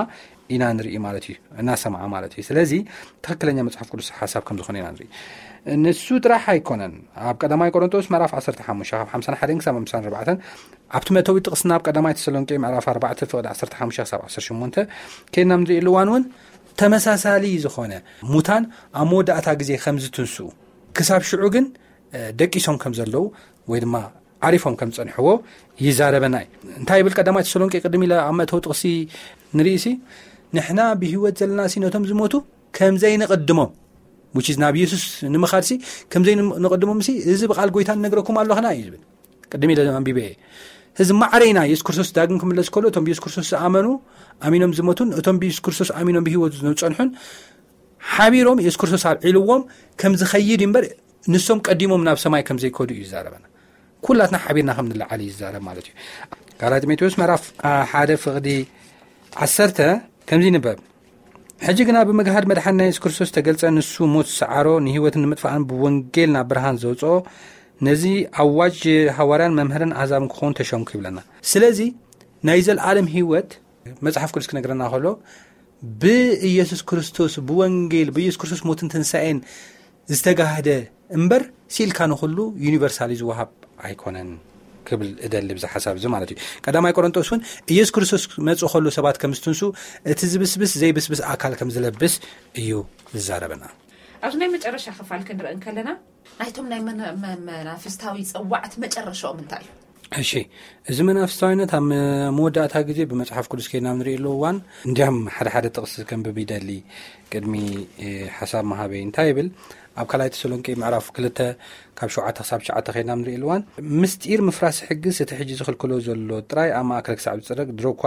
ኢና ንርኢ ማለት እዩ፣ እናሰምዓ ማለት እዩ። ስለዚ ትኽክለኛ መጽሓፍ ቅዱስ ሓሳብ ከም ዝኾነ ኢና ንርኢ። ንሱ ጥራሕ ኣይኮነን። ኣብ ቀዳማይ ቆሮንቶስ ምዕራፍ ዓሰርተ ሓሙሽተ ካብ ሓምሳን ሓደን ክሳብ ሓምሳን ኣርባዕተን ኣብቲ መእተዊ ጥቕስና ኣብ ቀዳማይ ተሰሎንቄ ምዕራፍ ኣርባዕተ ፍቕዲ ዓሰርተ ሓሙሽተ ክሳብ ዓሰርተ ሸሞንተ ከይድና ንርኢ እዋን እውን ተመሳሳሊ ዝኾነ ሙታን ኣብ መወዳእታ ግዜ ከም ዝትንስኡ ክሳብ ሽዑ ግን ደቂሶም ከም ዘለዉ ወይ ድማ ዓሪፎም ከም ዝጸንሕዎ ይዛረበና እዩ። እንታይ ይብል ቀዳማይ ተሰሎንቄ ቅድም ኢለ ኣብ መእተዊ ጥቕሲ ንርእሲ ንሕና ብህይወት ዘለናሲ ነቶም ዝሞቱ ከም ዘይንቕድሞም which is ናብ ኢየሱስ ንምኻድሲ ከም ዘይንቕድሞምሲ እዚ ብቓል ጎይታ ንነግረኩም ኣለኽና እዩ ዝብል። ቅድም ኢለ ኣንቢበ እየ። እዚ ማዕረ ኢና ኢየሱስ ክርስቶስ ዳግም ክምለስ ከሎ እቶም ብኢየሱስ ክርስቶስ ዝኣመኑ ኣሚኖም ዝሞቱን እቶም ብኢየሱስ ክርስቶስ ኣሚኖም ብህይወት ዝጸንሑን ሓቢሮም ኢየሱስ ክርስቶስ ኣብዒልዎም ከም ዝኸይድ እዩ እምበር ንሶም ቀዲሞም ናብ ሰማይ ከም ዘይከዱ እዩ ዝዛረበና። ኩላትና ሓቢርና ከም ንለዓል እዩ ዝዛረብ ማለት እዩ። ካልኣይ ጢሞቴዎስ ምዕራፍ ሓደ ፍቕዲ ዓሰርተ ከምዚ ይንበብ። ሕጂ ግና ብምግሃድ መድሓንና የሱስ ክርስቶስ ተገልጸ፣ ንሱ ሞት ዝሰዓሮ ንህይወትን ንምጥፋእን ብወንጌል ናብ ብርሃን ዘውፅኦ ነዚ ኣዋጅ ሃዋርያን መምህርን ኣህዛብን ክኸውን ተሸምኩ ይብለና። ስለዚ ናይ ዘለኣለም ህይወት መጽሓፍ ቅዱስ ክነግረና ከሎ ብኢየሱስ ክርስቶስ፣ ብወንጌል፣ ብኢየሱስ ክርስቶስ ሞትን ትንሳኤን ዝተጋህደ እምበር፣ ሲልካ ንኹሉ ዩኒቨርሳሊ ዝወሃብ ኣይኮነን ክብል እደሊ ብዚ ሓሳብ እዚ ማለት እዩ። ቀዳማይ ቆሮንጦስ እውን ኢየሱስ ክርስቶስ መጽእ ከሎ ሰባት ከም ዝትንሱ፣ እቲ ዝብስብስ ዘይብስብስ ኣካል ከም ዝለብስ እዩ ዝዛረበና። ኣብዚ ናይ መጨረሻ ክፋል ክንርኢ እንከለና፣ ናይቶም ናይ መና-፣ መ-፣ መናፍስታዊ ጸዋዕት መጨረሻኦም እንታይ እዩ? እሺ፣ እዚ መናፍስታዊነት ኣብ መ-፣ መወዳእታ ግዜ ብመጽሓፍ ቅዱስ ከይድና ንርእየሉ እዋን፣ እንዲያም ሓደ ሓደ ጥቕሲ ከንብብ ይደሊ። ቅድሚ፣ እ፣ ሓሳብ መሃበይ እንታይ ይብል? ኣብ ካልኣይ ተሰሎንቄ ምዕራፍ ክልተ ካብ ሸውዓተ ክሳብ ትሽዓተ ከይድና ንርእየሉ እዋን፣ ምስጢር ምፍራስ ሕግስ እቲ ሕጂ ዝኽልክሎ ዘሎ ጥራይ ኣብ ማእከል ክሳብ ዝጽረግ ድሮ እኳ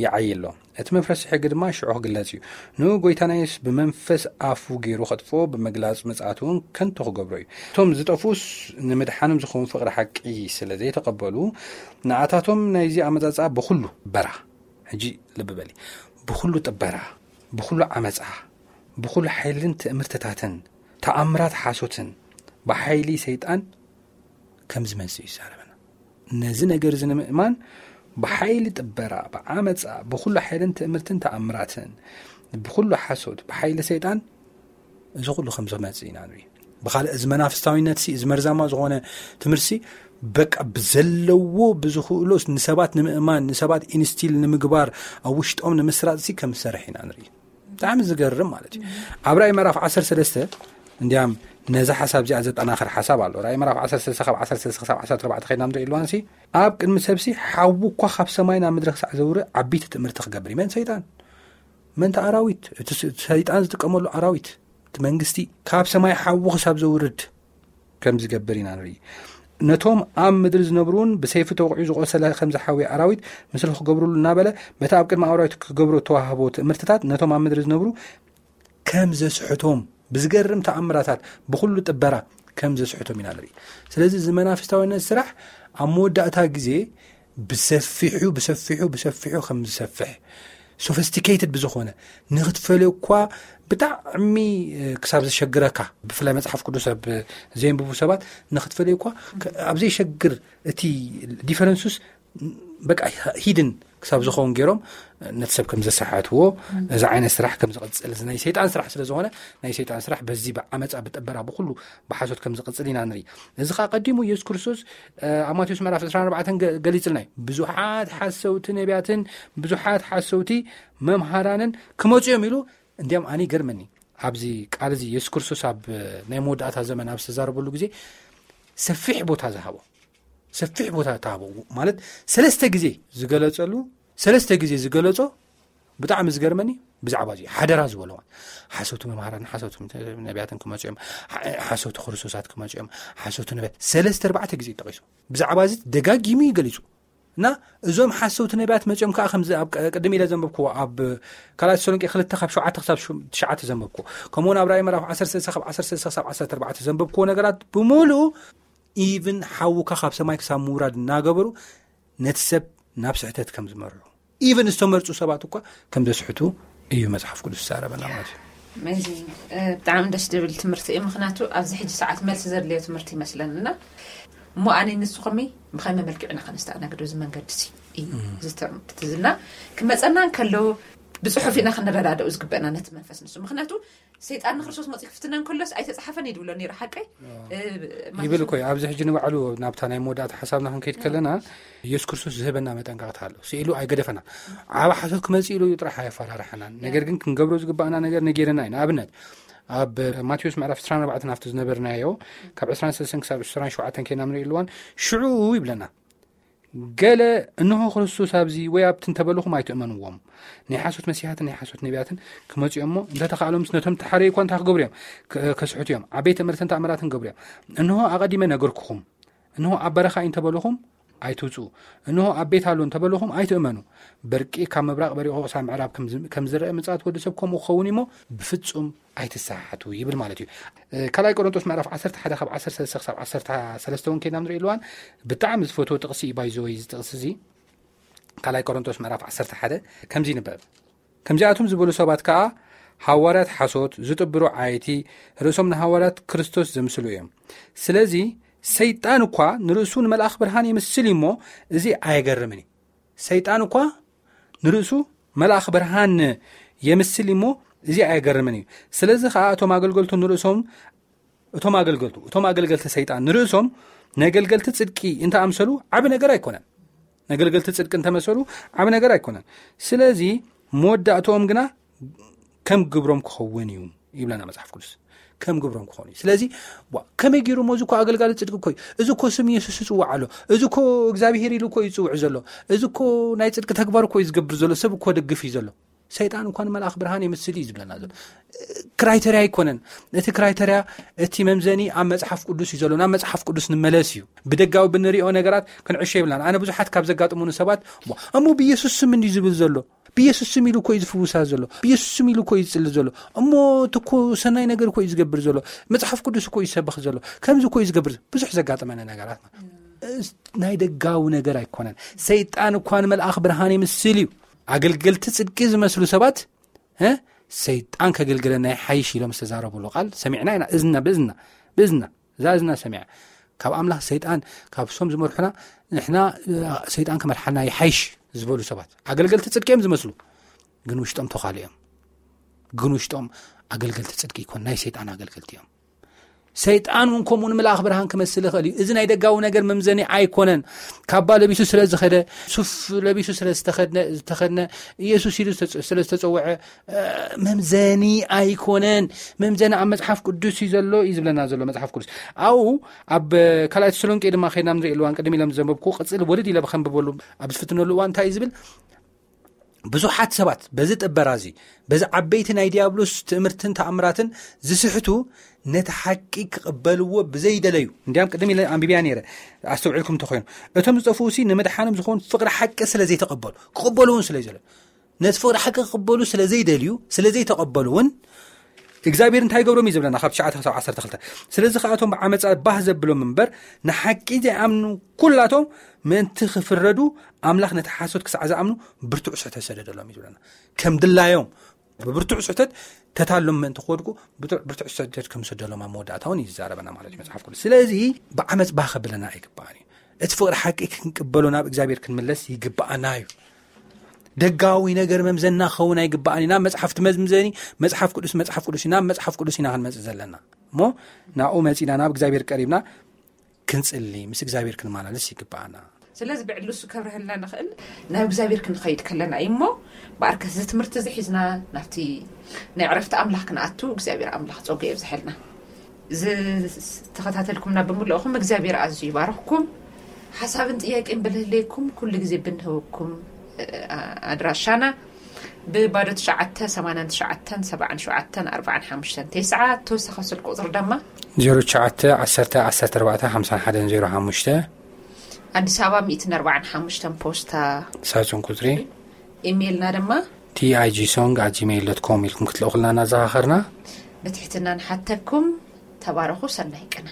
ይዓዪ ኣሎ። እቲ መፍረሲ ሕጊ ድማ ሽዑ ክግለጽ እዩ። ንኡ ጎይታና የሱስ ብመንፈስ ኣፉ ገይሩ ከጥፍኦ፣ ብመግላጽ ምጽኣት እውን ከንቱ ክገብሮ እዩ። እቶም ዝጠፍኡስ ንምድሓኖም ዝኸውን ፍቕሪ ሓቂ ስለ ዘይተቐበሉ፣ ንኣታቶም ናይዚ ኣመጻጽኣ ብኹሉ በራ። ሕጂ ልቢ በሊ። ብኹሉ ጥበራ፣ ብኹሉ ዓመጻ፣ ብኹሉ ሓይልን ትእምርትታትን፣ ተኣምራት ሓሶትን፣ ብሓይሊ ሰይጣን ከም ዝመጽእ እዩ ዝዛረበና። ነዚ ነገር እዚ ንምእማን ብሓይሊ ጥበራ፣ ብዓመጻ፣ ብኹሉ ሓይልን ትእምርትን ተኣምራትን፣ ብኹሉ ሓሶት፣ ብሓይሊ ሰይጣን እዚ ኩሉ ከም ዝመጽእ ኢና ንርኢ። ብኻልእ እዚ መናፍስታዊነት ሲ፣ እዚ መርዛማ ዝኾነ ትምህርቲ ሲ፣ በቃ ብዘለዎ ብዝኽእሎ ንሰባት ንምእማን፣ ንሰባት ኢንስቲል ንምግባር፣ ኣብ ውሽጦም ንምስራጽ ሲ ከም ዝሰርሕ ኢና ንርኢ። ብጣዕሚ ዝገርም ማለት እዩ። ኣብ ራእይ ምዕራፍ ዓሰርተ ሰለስተ እንዲያም ነዚ ሓሳብ እዚኣ ዘጠናኽር ሓሳብ ኣሎ። ራእይ ምዕራፍ ዓሰርተ ሰለስተ ካብ ዓሰርተ ሰለስተ ክሳብ ዓሰርተ ኣርባዕተ ከይድና ንርኢ ኣለዋን ሲ፣ ኣብ ቅድሚ ሰብ ሲ ሓዊ እኳ ካብ ሰማይ ናብ ምድሪ ክሳዕ ዘውርድ ዓቢይቲ ትእምርቲ ክገብር እዩ። መን? ሰይጣን። መን? እቲ ኣራዊት። እቲ ስ-፣ ሰይጣን ዝጥቀመሉ ኣራዊት፣ እቲ መንግስቲ ካብ ሰማይ ሓዊ ክሳብ ዘውርድ ከም ዝገብር ኢና ንርኢ። ነቶም ኣብ ምድሪ ዝነብሩን ብሰይፊ ተወቒዑ ዝቖሰለ ከም ዝሓውየ ኣራዊት ምስሉ ክገብርሉ እናበለ፣ በቲ ኣብ ቅድሚ ኣራዊት ክገብሮ እተዋህቦ ትእምርትታት ነቶም ኣብ ምድሪ ዝነብሩ ከም ዘስሕቶም፣ ብዝገርም ተኣምራታት፣ ብኹሉ ጥበራ ከም ዘስሕቶም ኢና ንርኢ። ስለዚ እዚ መናፍስታዊነት ስራሕ ኣብ መወዳእታ ግዜ ብሰፊሑ፣ ብሰፊሑ፣ ብሰፊሑ ከም ዝሰፍሕ፣ ሶፊስቲኬትድ ብዝኾነ፣ ንኽትፈልዮ እኳ ብጣዕሚ፣ እ፣ ክሳብ ዘሸግረካ፣ ብፍላይ መጽሓፍ ቅዱስ ኣብ ዘየንብቡ ሰባት ንኽትፈልዮ እኳ፣ ከ-፣ ኣብ ዘየሸግር፣ እቲ ዲፈረንሱስ በቃ ሂድን ክሳብ ዝኸውን ገይሮም ነቲ ሰብ ከም ዘሰሓትዎ፣ እዚ ዓይነት ስራሕ ከም ዝቕጽል፣ እዚ ናይ ሰይጣን ስራሕ ስለ ዝኾነ፣ ናይ ሰይጣን ስራሕ በዚ ብዓመጻ፣ ብጥበራ፣ ብኹሉ ብሓሶት ከም ዝቕጽል ኢና ንርኢ። እዚ ኸኣ ቀዲሙ ኢየሱስ ክርስቶስ፣ እ፣ ኣብ ማቴዎስ ምዕራፍ ዕስራን ኣርባዕተን ገ-፣ ገሊጽልና እዩ። ብዙሓት ሓሰውቲ ነቢያትን ብዙሓት ሓሰውቲ መምሃራንን ክመጹ እዮም ኢሉ። እንዲያም ኣነ ይገርመኒ፣ ኣብዚ ቃል እዚ ኢየሱስ ክርስቶስ ኣብ ናይ መወዳእታ ዘመን ኣብ ዝተዛረበሉ ግዜ ሰፊሕ ቦታ ዝሃቦ፣ ሰፊሕ ቦታ ተሃቦ ማለት ሰለስተ ግዜ ዝገለጸሉ፣ ሰለስተ ግዜ ዝገለጾ ብጣዕሚ ዝገርመኒ ብዛዕባ እዚ ሓደራ ዝበሎ ማለት ሓሰውቲ መምሃራን፣ ሓሰውቲ ነቢያትን ክመጹ እዮም፣ ሓ-፣ ሓሰውቲ ክርስቶሳት ክመጹ እዮም፣ ሓሰውቲ ነቢያት ሰለስተ ኣርባዕተ ግዜ ጠቒሱ ብዛዕባ እዚ ደጋጊሙ እዩ ገሊጹ። እና እዞም ሓሰውቲ ነቢያት መጺኦም ከኣ ከምዚ ኣብ ቀ-፣ ቅድም ኢለ ዘንበብክዎ ኣብ ካልኣይ ተሰሎንቄ ክልተ ካብ ሸውዓተ ክሳብ ሹ-፣ ትሽዓተ ዘንበብክዎ፣ ከምኡውን ኣብ ራእይ ምዕራፍ ዓሰርተ ሰለስተ ካብ ዓሰርተ ሰለስተ ክሳብ ዓሰርተ ኣርባዕተ ዘንበብክዎ ነገራት ብምሉኡ ኢቭን ሓውካ ካብ ሰማይ ክሳብ ምውራድ እናገበሩ ነቲ ሰብ ናብ ስሕተት ከም ዝመርሑ፣ ኢቭን ዝተመርጹ ሰባት እኳ ከም ዘስሕቱ እዩ መጽሓፍ ቅዱስ ዝዛረበና ማለት እዩ። ኣሜዚንግ። እ፣ ብጣዕሚ ደስ ዝብል ትምህርቲ እዩ። ምኽንያቱ ኣብዚ ሕጂ ሰዓት መልሲ ዘድልዮ ትምህርቲ ይመስለኒ እና እሞ ኣነ ንስኹም ብኸመይ መልክዕ ኢና ከነስተኣናግዶ? እዚ መንገዲ እዚ እዩ። እዚ ትምህርቲ እዚ እና ክመጸና እንከሎ ብጽሑፍ ኢና ክንረዳድኦ ዝግበአና ነቲ መንፈስ ንሱ። ምኽንያቱ ሰይጣን ንክርስቶስ መጺኡ ክፍትነ እንከሎስ ኣይተጻሓፈን እዩ ዝብሎ ነይሩ፣ ሓቀይ? እ፣ ይብል እኮ እዩ። ኣብዚ ሕጂ ንባዕሉ ናብታ ናይ መወዳእታ ሓሳብና ክንከይድ ከለና ኢየሱስ ክርስቶስ ዝህበና መጠንቀቕታ ኣሎ። ስኢሉ ኣይገደፈና። ዓብ ሓሶት ክመጽእ ኢሉ እዩ ጥራሕ ኣየፈራርሐናን። ነገር ግን ክንገብሮ ዝግባእና ነገር ነጊርና እዩ። ንኣብነት ኣብ ማቴዎስ ምዕራፍ ዕስራን ኣርባዕተን ኣብቲ ዝነበርናዮ ካብ ዕስራን ሰለስተን ክሳብ ዕስራን ሸውዓተን ከይና ንርኢ ኣለዋን ሽዑ ይብለና። ገለ እንሆ ክርስቶስ ኣብዚ ወይ ኣብቲ እንተበልኹም ኣይትእመንዎም። ናይ ሓሶት መሲሓትን ናይ ሓሶት ነቢያትን ክመጹ እዮም እሞ እንተተኻእሎምስ ነቶም ተሓረዩ እኳ እንታይ ክገብሩ እዮም? ከ-፣ ከስሕቱ እዮም። ዓበይቲ ትእምርትን ተኣምራትን ክገብሩ እዮም። እንሆ ኣቐዲመ ነገርኩኹም። እንሆ ኣብ በረኻ እዩ እንተበልኹም ኣይትውጽኡ። እንሆ ኣብ ቤት ኣሎ እንተበልኹም ኣይትእመኑ። በርቂ ካብ ምብራቕ በሪቑ ክሳብ ምዕራብ ከም ዝ-፣ ከም ዝረአ ምጽኣት ወዲ ሰብ ከምኡ ክኸውን እዩ እሞ ብፍጹም ኣይትሰሓሓቱ ይብል ማለት እዩ። እ፣ ካልኣይ ቆሮንቶስ ምዕራፍ ዓሰርተ ሓደ ካብ ዓሰርተ ሰለስተ ክሳብ ዓሰርተ ሰለስተ እውን ከይድና ንርኢ ኣለዋን ብጣዕሚ ዝፈትዎ ጥቕሲ እዩ። ባይዘወይ እዚ ጥቕሲ እዚ ካልኣይ ቆሮንቶስ ምዕራፍ ዓሰርተ ሓደ ከምዚ ይንበብ። ከምዚኣቶም ዝበሉ ሰባት ከኣ ሃዋርያት ሓሶት፣ ዝጥብሩ ዓየይቲ፣ ርእሶም ንሃዋርያት ክርስቶስ ዘምስሉ እዮም። ስለዚ ሰይጣን እኳ ንርእሱ ንመልኣኽ ብርሃን ይምስል እዩ እሞ እዚ ኣየገርምን እዩ። ሰይጣን እኳ ንርእሱ መልኣኽ ብርሃን የምስል እሞ፣ እዚ ኣየገርምን እዩ። ስለዚ ከዓ እቶም ኣገልገልቱ ንርእሶም እቶም ኣገልገልቱ እቶም ኣገልገልቲ ሰይጣን ንርእሶም ነገልገልቲ ጽድቂ እንተኣምሰሉ ዓቢ ነገር ኣይኮነን። ነገልገልቲ ጽድቂ እንተመሰሉ ዓቢ ነገር ኣይኮነን። ስለዚ መወዳእትኦም ግና ከም ግብሮም ክኸውን እዩ ይብለና መጽሓፍ ቅዱስ። ከም ግብሮም ክኾኑ እዩ። ስለዚ ዋ፣ ከመይ ገይሩ እሞ፣ እዚ እኮ ኣገልጋሊ ጽድቂ እኮ እዩ፣ እዚ እኮ ስም የሱስ ይጽዋዕ ኣሎ፣ እዚ እኮ እግዚኣብሄር ኢሉ እኮ እዩ ዝጽውዕ ዘሎ፣ እዚ እኮ ናይ ጽድቂ ተግባር እኮ እዩ ዝገብር ዘሎ፣ ሰብ እኮ ደግፍ እዩ ዘሎ። ሰይጣን እኳ ንመልኣኽ ብርሃን የምስል እዩ ዝብለና ዘሎ። ክራይተርያ ኣይኮነን። እቲ ክራይተርያ፣ እቲ መምዘኒ ኣብ መጽሓፍ ቅዱስ እዩ ዘሎ። ናብ መጽሓፍ ቅዱስ ንመለስ እዩ። ብደጋዊ ብንሪኦ ነገራት ክንዕሾ ይብላን። ኣነ ብዙሓት ካብ ዘጋጥሙኒ ሰባት፣ "ዋ፣ እሞ ብኢየሱስ ስም እንዲዩ ዝብል ዘሎ? ብኢየሱስ ስም ኢሉ እኮ እዩ ዝፍውሳ ዘሎ። ብኢየሱስ ስም ኢሉ እኮ እዩ ዝጽሊ ዘሎ። እሞ እቲ እኮ ሰናይ ነገር እኮ እዩ ዝገብር ዘሎ። መጽሓፍ ቅዱስ እኮ እዩ ዝሰብኽ ዘሎ። ከምዚ እኮ እዩ ዝገብር ዘሎ።" ብዙሕ ዘጋጥመኒ ነገራት ማለት እዩ። ናይ ደጋዊ ነገር ኣይኮነን። ሰይጣን እኳ ንመልኣኽ ብርሃን ይምስል እዩ። ኣገልገልቲ ጽድቂ ዝመስሉ ሰባት፣ እ፣ "ሰይጣን ከገልግለና ይሓይሽ" ኢሎም ዝተዛረብሉ ቃል ሰሚዕና ኢና። እዝና ብእዝና፣ ብእዝና፣ እዛ እዝና ሰሚዓ። ካብ ኣምላኽ ሰይጣን፣ ካብ ሶም ዝመርሑና፣ ንሕና፣ እ፣ ሰይጣን ክመርሓና ይሓይሽ ዝበሉ ሰባት፣ ኣገልገልቲ ጽድቂ እዮም ዝመስሉ፣ ግን ውሽጦም ተዃሉ እዮም። ግን ውሽጦም ኣገልገልቲ ጽድቂ ይኮን፣ ናይ ሰይጣን ኣገልገልቲ እዮም። ሰይጣን እውን ከምኡ ንምልኣኽ ብርሃን ክመስል ይኽእል እዩ። እዚ ናይ ደጋዊ ነገር መምዘኒ ኣይኮነን። ካባ ለቢሱ ስለ ዝኸደ፣ ሱፍ ለቢሱ ስለ ዝተኸድነ፣ ዝተኸድነ፣ ኢየሱስ ኢሉ ዝተጸ-፣ ስለ ዝተጸውዐ፣ እ፣ መምዘኒ ኣይኮነን። መምዘኒ ኣብ መጽሓፍ ቅዱስ እዩ ዘሎ እዩ ዝብለና ዘሎ መጽሓፍ ቅዱስ። ኣብኡ ኣብ ካልኣይ ተሰሎንቄ ድማ ከይድና ንርኢ፣ እዋን ቅድም ኢለ ዘንበብኩ ቅጽል ወለድ ኢለ ብኸንብበሉ ኣብ ዝፍትነሉ እዋን እንታይ እዩ ዝብል? ብዙሓት ሰባት በዚ ጥበራ እዚ፣ በዚ ዓበይቲ ናይ ዲያብሎስ ትእምርትን ተኣምራትን ዝስሕቱ፣ ነቲ ሓቂ ክቕበልዎ ብዘይደለዩ፣ እንዲያም ቅድም ኢለ ኣንቢብያ ነይረ፣ ኣስተውዒልኩም እንተኾይኑ፣ እቶም ዝጠፍኡ ሲ ንምድሓኖም ዝኾን ፍቕሪ ሓቂ ስለ ዘይተቐበሉ፣ ክቕበሉ እውን ስለ ዘይደለዩ፣ ነቲ ፍቕሪ ሓቂ ክቕበሉ ስለ ዘይደልዩ፣ ስለ ዘይተቐበሉ እውን እግዚኣብሔር እንታይ ይገብሮም እዩ ዝብለና ካብ ትሽዓተ ክሳብ ዓሰርተ ክልተ። ስለዚ ከኣቶም ብዓመፃ ባህ ዘብሎም እምበር ንሓቂ ዘይኣምኑ ኩላቶም ምእንቲ ክፍረዱ ኣምላኽ ነቲ ሓሶት ክሳዕ ዝኣምኑ ብርቱዕ ስሕተት ሰደደሎም እዩ ዝብለና። ከም ድላዮም ብብርቱዕ ስሕተት ተታሎም ምእንቲ ክወድቁ ብርቱዕ፣ ብርቱዕ ስሕተት ከም ዝሰደሎም ኣብ መወዳእታ እውን እዩ ዝዛረበና ማለት እዩ መጽሓፍ ቅዱስ። ስለዚ ብዓመፅ ባህ ከብለና ኣይግባእን እዩ። እቲ ፍቕሪ ሓቂ ክንቅበሎ ናብ እግዚኣብሔር ክንምለስ ይግባኣና እዩ። ደጋዊ ነገር መምዘና ክኸውን ኣይግባእን እዩ። ናብ መጽሓፍ ትመዝምዘኒ፣ መጽሓፍ ቅዱስ፣ መጽሓፍ ቅዱስ እዩ። ናብ መጽሓፍ ቅዱስ ኢና ክንመጽእ ዘለና። እሞ ናብኡ መጺና ናብ እግዚኣብሔር ቀሪብና ክንጽሊ፣ ምስ እግዚኣብሔር ክንመላለስ ይግባኣና። ስለዚ ብዕሊ እሱ ከብርህልና ንኽእል ናብ እግዚኣብሔር ክንኸይድ ከለና እዩ። እሞ ብኣርከስ እዚ ትምህርቲ እዚ ሒዝና ናብቲ ናይ ዕረፍቲ ኣምላኽ ክንኣቱ እግዚኣብሔር ኣምላኽ ጸጉ የብዝሐልና። ዝተኸታተልኩምና ብምልእኹም እግዚኣብሔር ኣዝዩ ይባርኽኩም። ሓሳብን ጥያቄን ብልህለይኩም ኩሉ ግዜ ብንህበኩም፣ እ፣ ኣድራሻና ብባዶ ትሽዓተ ሰማንያን ትሽዓተን ሰብዓን ሸውዓተን ኣርባዓን ሓሙሽተን ተስዓ፣ ተወሳኺ ስልኪ ቁጽሪ ድማ ዜሮ ትሽዓተ ዓሰርተ ዓሰርተ ኣርባዕተ ሓምሳን ሓደን ዜሮ ሓሙሽተ። ኣዲስ ኣበባ ሚእትን ኣርባዓን ሓሙሽተን ፖስታ ሳጹን ቁጽሪ። ኢሜይልና ድማ ቲ ኣይ ጂ ሶንግ ኣት ጂሜይል ዶት ኮም ኢልኩም ክትልእኹልና እናዘኻኸርና። ብትሕትና ንሓተኩም። ተባረኹ። ሰናይ ቅነ።